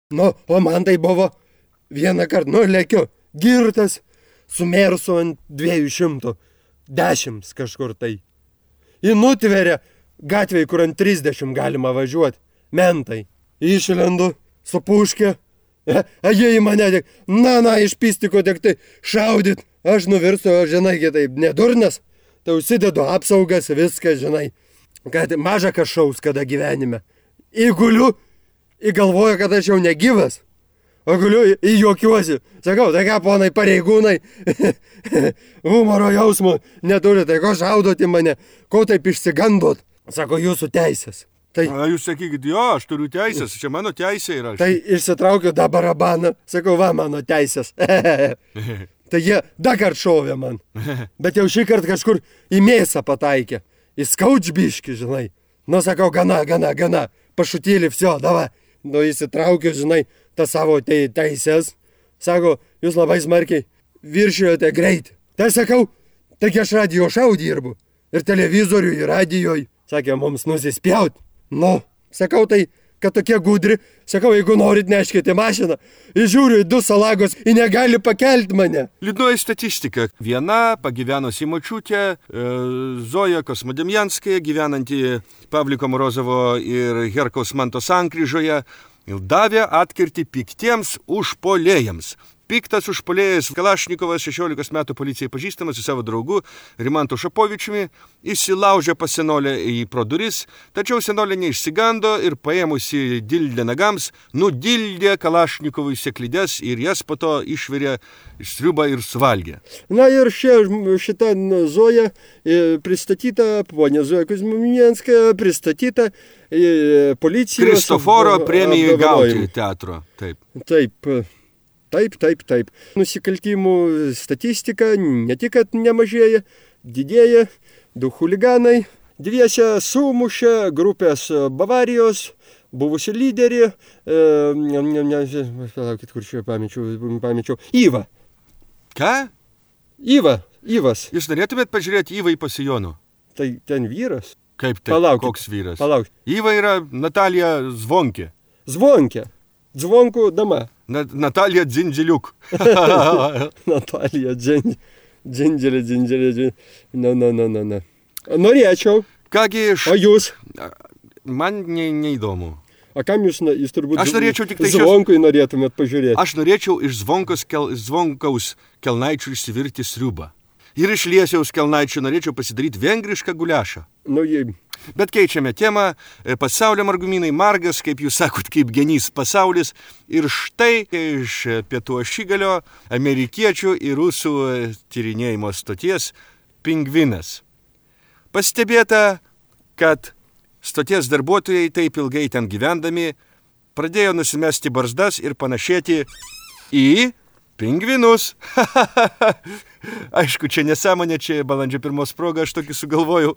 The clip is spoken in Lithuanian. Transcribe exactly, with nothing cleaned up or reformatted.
Nu, o man tai buvo vieną kartą, nu, lėkiu, girtas, sumersu ant dviejų šimtų, dešimt kažkur tai. Į nutveria gatvėj, kur ant trisdešimt galima važiuoti, mentai. Išlendu, supuškė, a jie į mane tik, na, na, iš pystiko tik tai šaudyt. Aš nuvirstu, žinai, kitaip, nedurnas, tai užsidedu apsaugas, viską, žinai, kad maža kažkaus kada gyvenime. Įguliu, įgalvoju, kad aš jau negyvas, o guliu į juokiuosi. Sakau, tai ką, ponai pareigūnai, humoro jausmo neturi, tai ko šaudot į mane, ko taip išsigandot? Sako, jūsų teisės. Tai, A, jūs sakykit, jo, aš turiu teisės, čia mano teisė yra. tai išsitraukiu tą barabaną, sakau, va, mano teisės. Tai jie dar kart šovė man, bet jau šį kartą kažkur į mėsą pataikė, į skaudžbiškį, žinai. Nu, sakau, gana, gana, gana, pašutėlį, vsio, davai. Nu, įsitraukiu, žinai, tą savo te teisės. Sako, jūs labai smarkiai viršijote greitį. Tai sakau, taigi aš radijo šau dirbu. Ir televizorių, ir radijoj. Sakė, mums nusispjaut. Nu, sakau, tai, kad tokie gudri. Sakau, jeigu norit, neškite mašiną. Įžiūriu į du salagos, į negali pakelti mane. Liūdnoji statistika. Viena pagyvenusi močiutė, e, Zoja Kosmodemjanskaja, gyvenanti Pavliko Morozovo ir Herkaus Manto sankryžoje, davė atkirtį piktiems užpuolėjams. Piktas užpuolėjas Kalašnikovas, šešiolikos metų policijai pažįstamas su savo draugu Rimantu Šapovičiumi, įsilaužė pas senolę į pro duris, tačiau senolė neišsigando ir paėmusi dildę nagams, nudildė Kalašnikovui seklides ir jas po to išvirė sriubą ir suvalgė. Na ir šia, šita Zoja e, pristatyta, ponė Zoja Kuzminenskaja, pristatyta e, policijos... Kristoforo premijai apdovanojimui. gauti teatro. Taip. Taip, taip, taip, taip. Nusikaltimų statistika ne tik, kad nemažėja, didėja, du chuliganai. Dviese sumušė grupės Bavarijos, buvusi lyderį, e, ne, ne, ne, palaukit, kur čia pamečiau, pamečiau, Iva. Ką? Iva, Ivas. Jūs norėtumėt pažiūrėti Ivą į pasijonų? Tai ten vyras. Kaip tai? Palaukit. Koks vyras? Palaukit. Iva yra Natalija Zvonkė. Zvonkė. Zvonkų dama. Na, Natalija Dzindžiliuk. Natalija Dzin- Dzindželė, Dzindželė, Dzindželė. Na, na, na, na, na. Norėčiau. Kągi, iš... O jūs? Man ne, neįdomu. O kam jūs, na- jūs turbūt Aš norėčiau tik tai šios- Zvonkui norėtumėt pažiūrėti? Aš norėčiau iš Zvonkos kel, Zvonkaus kelnaičių išsivirti sriubą. Ir iš Liesiaus kelnaičių norėčiau pasidaryti vengrišką guliašą. Nu, jei... Bet keičiame temą. Pasaulio margumynai margas, kaip jūs sakot, kaip genys pasaulis. Ir štai iš pietų ašigalio amerikiečių ir rusų tyrinėjimo stoties pingvinas. Pastebėta, kad stoties darbuotojai taip ilgai ten gyvendami pradėjo nusimesti barzdas ir panašėti į pingvinus. Aišku, čia nesąmonė, čia balandžio pirmos proga, aš tokį sugalvojau.